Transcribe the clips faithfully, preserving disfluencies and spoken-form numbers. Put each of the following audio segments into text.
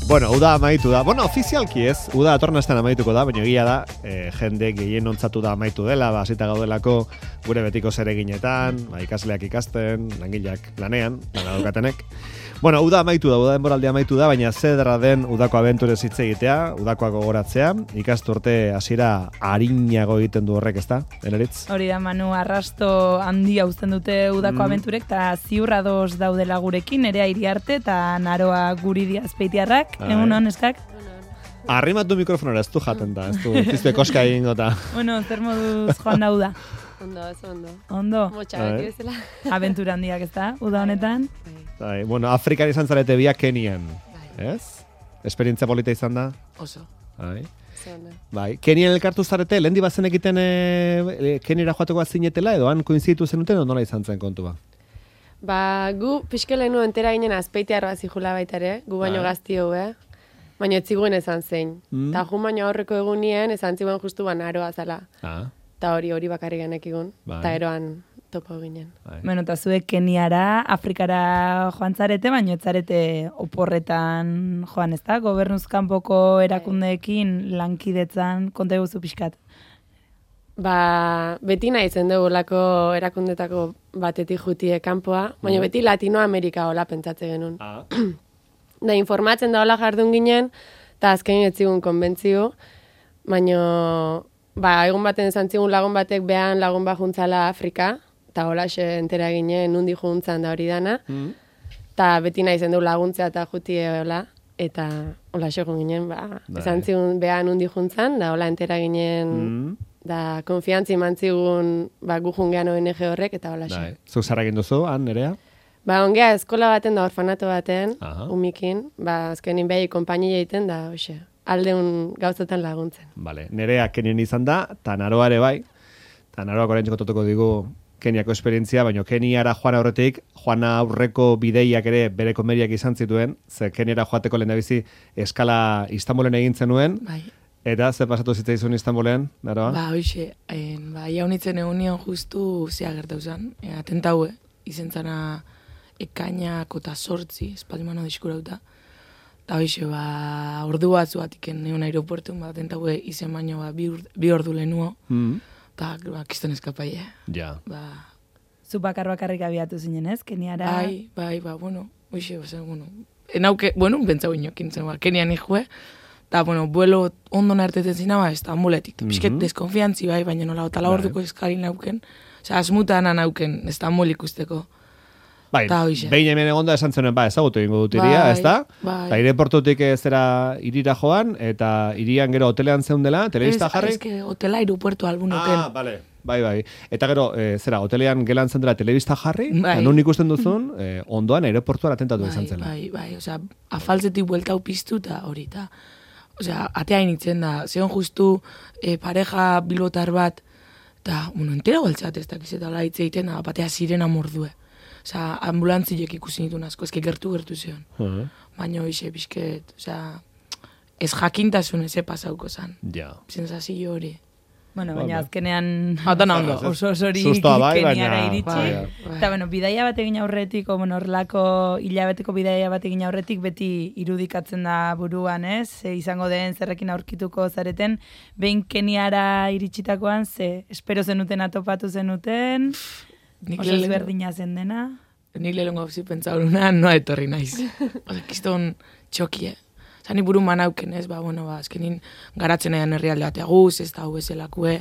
Bueno, uda amaitu da. Bueno, ofizialki ez, uda atornastan amaituko da, baina egia da, e, jende gehien ontzatu da amaitu dela, ba, hasita gaudelako gure betiko zereginetan, ba, ikasleak ikasten, langileak lanean, lana daukatenek. Bueno, uda amaitu da, uda denboraldi amaitu da, baina zedra den udako abenturez hitz egitea, udakoa gogoratzea, ikasturte hasiera arinago egiten du horrek, ezta? Eneritz? Hori da, Manu, arrasto handia uzten dute udako mm. abenturek, eta ziurra dos daudela gurekin, Nerea Iriarte eta Naroa Guridi Azpeitiarrak. Egun hon, eskak? Arrimatu mikrofonora, ez du jaten da, ez du, pizte koska egin gota. Bueno, zer moduz joan dauda? Ondo, ez ondo. Ondo? Motxa beti bezala. Abentura handiak, ez da, uda honetan? Bai, bueno, Afrikan izan zarete biak Kenian, ez? Esperientzia polita izan da? Oso. Bai. Zona. Bai, Kenian elkartu zarete, lehen di bazen egiten e, Keniara joateko zinetela, edo han koinzitu zenuten, edo nola izan zen kontua? Ba, gu pixkelenu entera ginen Azpeitiarroa zijula baitare, gu baino gazti hau, eh? Baina etziguen esan zein. Mm. Ta jun baino aurreko egunien, esan ziguen justu ban Aroa zala. Ah. Ta hori hori bakarri genek egun, bai. Ta eroan topo ginen. Bai. Bueno, eta zuek Keniara, Afrikara joan zarete, baina ez zarete oporretan joan, ez da? Gobernuzkanpoko erakundeekin lankidetzan konta eguzu pixkat. Ba, beti nahi zen dugulako erakundetako batetik jutie kanpoa, baina beti Latinoamerika hola pentsatze genuen. Ah. Da, informatzen da hola jardun ginen, eta azken etzigun konbentzio, baina, ba, egun baten esan zigun lagun batek behan lagun bat juntzala Afrika, eta hola xe entera ginen nundi juntzan da hori dana, eta mm. beti nahi zen du laguntzea eta jutie hola, eta hola xe ginen, ba, esan zigun behan nundi juntzan, da hola entera ginen... Mm. Da, konfiantzi mantzigun ba, gu jungean O N G horrek, eta hola xe. Zuk zara egin duzu, han, Nerea? Ba, ongea, eskola baten da, orfanato baten, aha. Umikin, ba, azkenin behi konpainia egiten da, hoxe, aldeun gauzetan laguntzen. Vale, Nerea Kenien izan da, eta Naroa ere bai, eta Naroak oraintxeko totuko digu Keniako esperientzia, baina Keniara joan aurretik, joan aurreko bideiak ere bere komeriak izan zituen, ze Keniara joateko lehendabizi eskala Istanbulen egin zenuen, bai. Eta, ze pasatu zitzaizun Istanbulen, Naroa? Ba, hoxe, ba, jaunitzen egunion justu zea gertau zen. E, atentaue, izen zana ekainako eta sortzi, espaldimano diskurauta. Eta hoxe, ba, ordu bat zuatiken egon aeropuertun, ba, atentaue izen baino, ba, bi, ur, bi ordu lehenuo. Mm. Eta, ba, kiston eskapaie. Ja. Ba, zu bakar bakarrik abiatu zinen, ez? Keniara... Bai, bai, ba, bueno, hoxe, ba, bueno, enauke, bueno, bentzau inokin zen, ba, Kenian ikue, eta, bueno, vuelo ondo nartetzen zina, ba, Estambuletik. Mm-hmm. Pisket deskonfiantzi bai, baina nola, otala orduko eskarin nauken. Osea, asmutan nauken Estambul ikusteko. Bai, behin hemen egonda esan zenuen, ba, ezagutu egingo dut iria, ez da? Bai. Eta aireportutik zera irira joan, eta irian gero hotelean zeundela, telebista jarri? Ez, ez, hotela aeropuertu albunuken. Ah, bale. Bai, bai. Eta gero, e, zera, hotelean gelan zendela telebista jarri, bai. Nun ikusten duzun, e, ondoan aeroportuan atentatu bai, izan zela. Bai, bai, osea, afaltzetik bueltau piztu eta hori, eta... Osea, atea initzen da, zeon justu e, pareja bilotar bat, eta, bueno, entera goltzat ez dakizetala hitz egiten da, batea sirena mordue. Osea, ambulantziek ikusi nituen asko, ezke gertu-gertu zion. Uh-huh. Baina hoxe, bizket, osea, ez jakintasun eze pasauko zan. Ja. Sensazio hori. Bueno, baina azkenean ondo. oso osori bai, Keniara iritsi. Eta, bueno, bidaia bat egin aurretik, o, bueno, horrelako hilabeteko bidaia bat egin aurretik, beti irudikatzen da buruan, ez? Ze izango den zerrekin aurkituko zareten, behin Keniara iritsitakoan, ze espero zenuten atopatu zenuten, oso ezberdina zen dena. Nik lehenko hauzi pentsauruna, noa etorri naiz. Oza, kiston txokie. Zani buru manauken ez, ba, bueno, ba, azkenin garatzen edan herrialde batea guz, ez da hau bezalakue,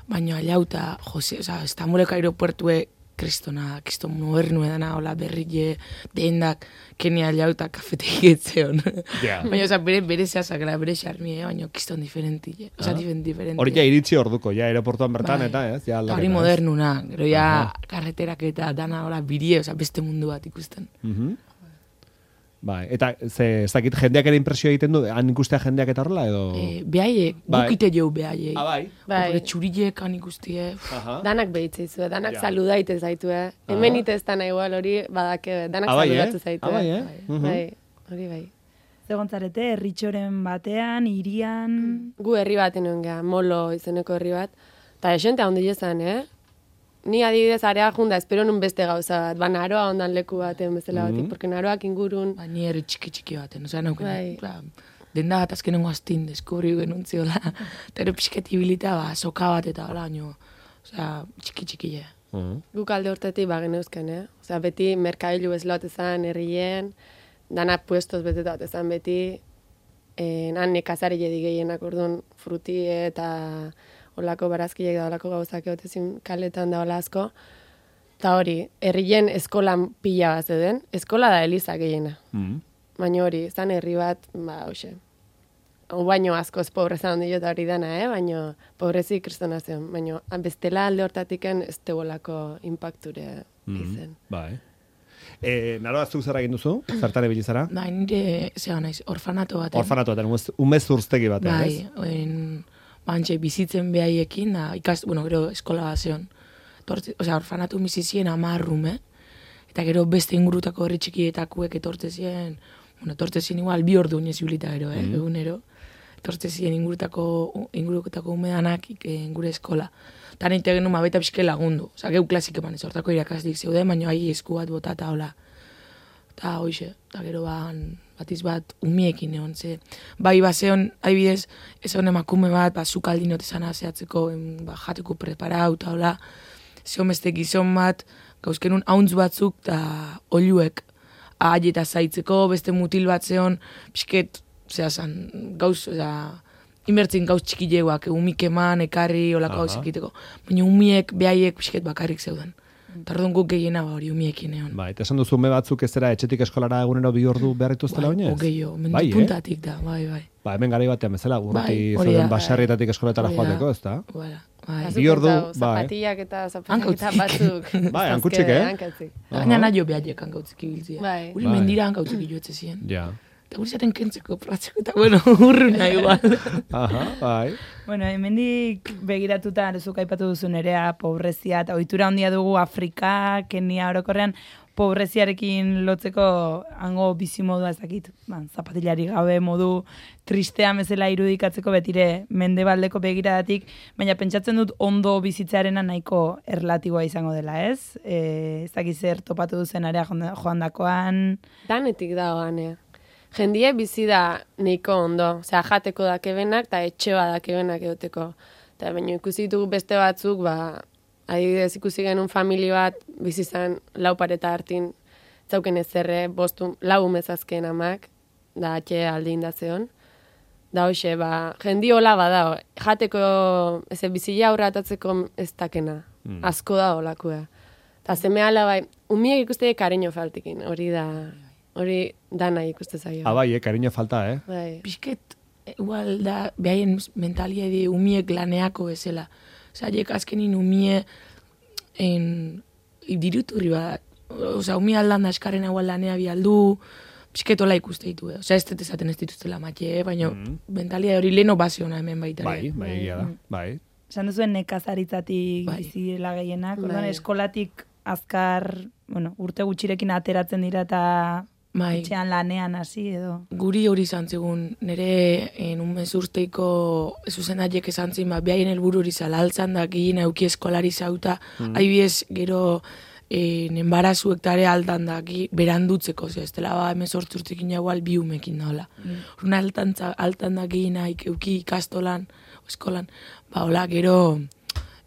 baina aliauta, jose, oza, Estambuleko aeropuertue, kristona, kriston modernu edana, hola, berrile, dendak, Kenia aliauta kafetegi etzeon. Yeah. Baina, oza, bere, bere zeazakela, bere xarmie, baina kriston diferenti, oza, ah. diferenti. Hori ja iritsi orduko, ja, aeroportuan bertan, bai. Eta, ez? Ja, hori modernuna, gero ja, uh-huh. Karreterak eta dana, hola, birie, oza, beste mundu bat ikusten. Mhm. Bai, eta ze, ez dakit jendeak ere impresio egiten du, han ikustea jendeak eta horrela, edo... E, behaiek, bai. Gukite jau behaiek. Ah, bai? Bai. Hore txurilek han ikustie. Danak behitzeizu, danak ja. Saludaite zaitu, eh? Hemen iteztan igual hori, badake, danak ah, saludatu zaitu. Ah, bai, eh? Bai, uh-huh. Bai, hori bai. Zegontzarete, herritxoren batean, irian... Gu herri baten nuen geha, Molo izeneko herri bat. Eta esente handi jezan, eh? ni adibidez area junda, espero nun beste gauza bat, ba naroa ondan leku baten bezala batik, Mhm. porque naroak ingurun... Ba, ni herri txiki-txiki baten, osea, nauken, Bai. ba, denda bat azkenengo astin deskubri genuntziola, eta ero pixket ibilita, ba, soka bat eta hola, baino, osea, txiki-txiki, ja. Mhm. Guk alde hortetik bageneuzken, eh? Osea, beti merkailu bezala ezan, herrien, dana puestos beteta bat ezan beti, eh, han nekazari jedi gehienak orduan frutie eta olako barazkiek da olako gauzak egotezin kaletan da hola asko. Eta hori, herrien eskolan pila bat zeuden, eskola da eliza gehiena. Mhm. Baina hori, zan herri bat, ba, hoxe. Hau baino askoz pobreza handi eta hori dana, eh? Baina pobrezi kristona zen. Baina bestela alde hortatiken ez tegolako impacture izen. Bai. E, naroa zuk zer egin duzu? Zertare bilizara? Ba, nire, zera naiz, orfanato baten. Orfanato baten, umez, umez urztegi baten, Bai, ez? en, bantxe, bizitzen behaiekin, da, ikast, bueno, gero eskola bat zeon. Tortze, osea, orfanatu bizizien amarrume, eta gero beste ingurutako herri txikietakuek etortzezien, bueno, etortzezien igual bi ordu inez ibilita gero, eh, Mhm. egunero. Etortzezien ingurutako, ingurutako umedanak eh, gure eskola. Eta nahi genuen ma baita pixke lagundu. Osea, geu klasik eman ez, hortako irakasdik zeuden, baina ahi esku bat bota eta hola. Eta hoxe, eta gero ban, batiz bat umiekin egon, ze, bai baseon, haibidez, ez hon emakume bat, ba, zukaldin otezana zehatzeko, em, ba, jateko preparau, eta hola, zeon beste gizon bat, gauzkenun hauntz batzuk, eta oluek, ahi eta zaitzeko, beste mutil bat zeon, pixket, zera zan, gauz, oza, inbertzen gauz txikileguak, umik eman, ekarri, olako Aha. gauz ekiteko. Baina umiek, behaiek, pixket bakarrik zeuden. Eta orduan guk gehiena ba hori umiekin egon. Bai, eta esan duzu ume batzuk ez dira etxetik eskolara egunero bi ordu behar dituztela Bai, oinez? Ogeio, mendu Bai, eh? puntatik da, bai, bai. Ba, hemen garai batean bezala, urruti Bai, hori zeuden da. baserrietatik eskoletara Hori da. joateko, ez da? Voilà, bai. Azuk Bi ordu, pentsau, bai. Zapatillak eta zapatillak Hankautzik. batzuk. Bai, hankutsik, eh? Hankautzik. Baina nahi jo behaiek hankautzik ibiltzia. Bai. Uri Bai. mendira hankautzik iloetze ziren. Ja. Eta guri zaten kentzeko, pratzeko, eta bueno, urruna igual. Aha, bai. Bueno, hemendik begiratuta, zuk aipatu duzu nerea, pobrezia, eta ohitura handia dugu Afrika, Kenia orokorrean, pobreziarekin lotzeko hango bizi modua ez dakit. Ba, zapatilari gabe modu tristean bezala irudikatzeko betire mendebaldeko begiradatik, baina pentsatzen dut ondo bizitzearena nahiko erlatiboa izango dela, ez? E, ez dakit zer topatu duzen area joandakoan. Danetik dago ganea. Jendie bizi da nahiko ondo. Osea, jateko dakebenak eta etxe bat dakebenak egoteko. Eta baina ikusi ditugu beste batzuk, ba, adibidez ikusi genuen famili bat, bizi zen lau pareta hartin, zauken ezerre, bostu, lau umezazken amak, da atxe alde indazeon. Da hoxe, ba, jendi hola badao, jateko, ez bizila aurratatzeko ez dakena, Mm. asko da holakua. Eta zeme ala bai, umiek ikuste kariño faltikin, hori da, hori dana ikuste zaio. Ah, bai, eh, kariño falta, eh? Bai. Pisket, igual da, behaien mentalia di umiek laneako bezala. Osa, jek azkenin umie en, diruturri bat. Osa, umie aldan da eskarren hau lanea bialdu, pisketola ikuste ditu. Eh? Osa, ez dut esaten ez dituztela matxe, eh? baina Mhm. mentalia hori leno baziona hemen baita. Bai, bai, egia da. Bai. Esan duzuen nekazaritzatik Bai. bizirela gehienak, orduan Bai. eskolatik azkar, bueno, urte gutxirekin ateratzen dira eta Bai. etxean lanean hasi edo. Guri hori izan zegun, nire en un mes urteiko zuzendariek esan zin, ba, behaien helburu hori zalaltzan da, gehien auki eskolari zauta, mm. haibiez gero en embarazuek tare altan da, gi, berandutzeko, ze, ez dela, ba, hemen sortzurtekin jagual bi umekin daola. Mm. Urna altan, altan da gehien haik euki ikastolan, eskolan, ba, hola, gero,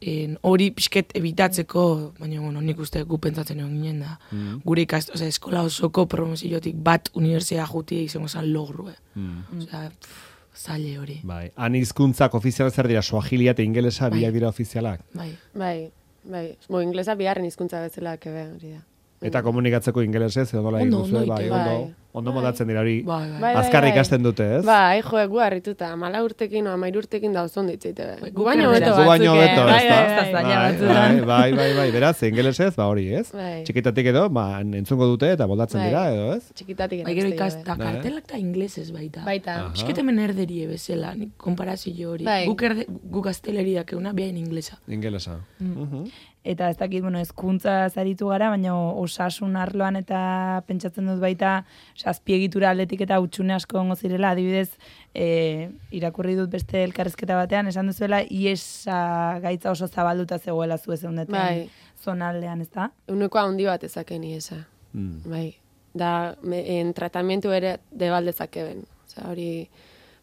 en, hori pixket ebitatzeko, baina, bueno, nik uste gu pentsatzen egon ginen da. Mm. Gure ikast, osea, eskola osoko promoziotik bat unibertsitate jutia izango zen logru, eh. Mm. Osea, pff, zaile hori. Bai. Han hizkuntzak ofizialak zer dira, suahilia eta ingelesa Bai. biak dira ofizialak. Bai. Bai, bai. Bo, inglesa bigarren hizkuntza bezala kebe, hori da. Eta komunikatzeko ingelesez, edo nola egin Ondo, duzue, ondo bai, egiten. ondo, Bai. ondo modatzen dira hori. Bai, bai. Bai, Azkar bai. ikasten dute, ez? Bai, jo, egu harrituta, mala urtekin o amairu urtekin da oso onditzeite. Bai, Gu guk baino erdera. beto Gu baino batzuk, eh? beto, Bai, ez da? bai, bai. Zaila Bai, batzutan. bai, bai, bai, beraz, ingelesez, ba hori, ez? Bai. Txikitatik edo, ba, entzungo dute eta moldatzen Bai. dira, edo, ez? Txikitatik Bai, gero erakutsi ikas, gabe. da Bai. kartelak da inglesez baita. Baita. Aha. Pisket hemen erderie bezala, nik konparazio hori. Bai. Guk, erde, guk gazteleriak euna behain inglesa. Ingelesa. Mhm. eta ez dakit, bueno, ezkuntza zaritu gara, baina osasun arloan eta pentsatzen dut baita, azpiegitura aldetik eta utxune asko ongo zirela, adibidez, e, irakurri dut beste elkarrezketa batean, esan duzuela, iesa gaitza oso zabalduta zegoela zu ezeundetan bai. Zonaldean, ez da? Uneko handi bat ezake iesa. Mm. Bai. Da, me, en tratamientu ere debaldezake ben. Osa, hori...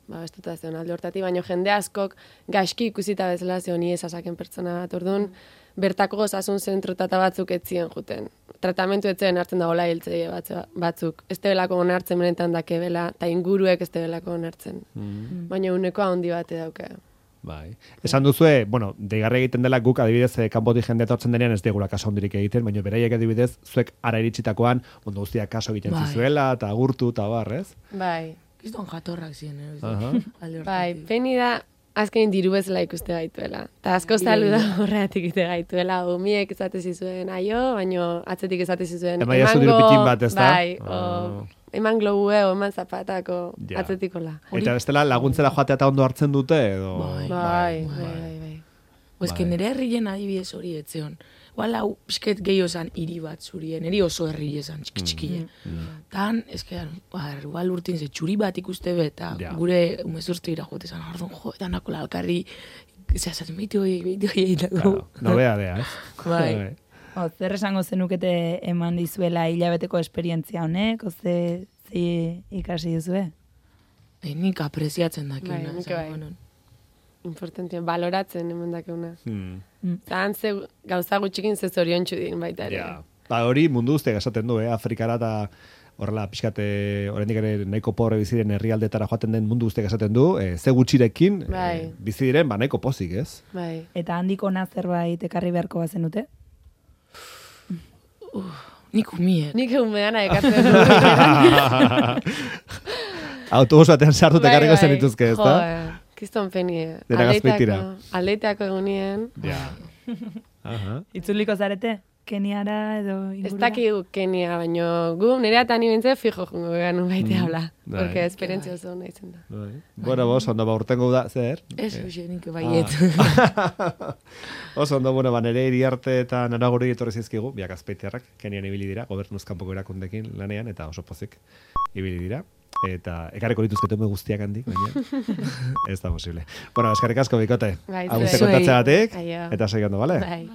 Ba, ez dut azten alde hortati, baina jende askok gaizki ikusita bezala ze honi esasaken pertsona bat, orduan, bertako osasun zentrotata batzuk etzien juten. Tratamentu etzen hartzen da gola hiltzei batzuk. Ez tebelako onartzen benetan dakebela, eta inguruek ez tebelako onartzen. Mm. Baina uneko handi bate dauke. Bai. Esan duzue, bueno, deigarri egiten dela guk adibidez kanpotik jende etortzen denean ez digula kaso hondirik egiten, baina beraiek adibidez zuek ara iritsitakoan mundu guztiak kaso egiten bai. Zizuela eta agurtu eta bar, ez? Bai. Kiston jatorrak ziren, eh? Uh-huh. Bai, peni da, azken diru bezala ikuste gaituela. Ta asko zalu da horreatik ite gaituela. Umiek esate zizuen aio, baino atzetik esate zizuen emango... Emaia diru pitin bat, ez da? Bai, oh. o, eman globue, o eman zapatako ja. Atzetikola. Eta bestela laguntzera joatea eta ondo hartzen dute, edo... Bai, bai, bai, bai. bai. Oez, que nire herrien adibidez hori etzeon. Wala, pisket gehiago zan hiri bat zurien, eri oso herri esan, txiki-txikile. Mm. Tan, ez que, igual urtin ze txuri bat ikuste bet, eta yeah. gure umezurtu ira jote zan, ardun, jo, eta nakola alkarri, zehazatzen, behitu hoi, behitu hoi, egitako. Nobea dea, ez? Bai. O, zer esango zenukete eman dizuela hilabeteko esperientzia honek, o ze, ze ikasi duzue? E, nik apreziatzen dakina. Bai, nik bai. Importantia, baloratzen eman dakeuna. Hmm. Zan ze gauza gutxikin ze zorion txudin baita ere. Ja. Ba, hori mundu guztiak esaten du, eh? Afrikara eta horrela pixkate, oraindik ere nahiko pobre biziren herrialdetara joaten den mundu guztiak esaten du, eh, ze gutxirekin bai. eh, bizi diren, ba nahiko pozik, ez? Bai. Eta handik ona zerbait ekarri beharko bazenute? Uh, nik umien. Nik umeana ekartzen du. Autobus batean sartu tekarriko zen dituzke, ez da? Kiston penie. Dena gazpeitira. Aldeiteako egunien. Ja. Aha. Itzuliko zarete? Keniara edo ingurura? Ez dakigu Kenia, baino gu nire eta ni bintze fijo jungo ganu baite habla. Mm. Porque esperientzia oso nahi zen da. Bueno, bos, ondo ba urtengo da, zer? Ez, uxe, nik baiet. Oso ondo, bueno, ba, nire iriarte eta naraguri etorri zizkigu, biak azpeitearrak, Kenian ibili dira, gobernuz kanpoko erakundekin lanean, eta oso pozik ibili dira. Eta ekarreko dituzketu me guztiak handik, baina ez da posible. Bueno, eskarrik asko bikote. Bai, Aguzte kontatzeatik, eta segando, bale? Bai.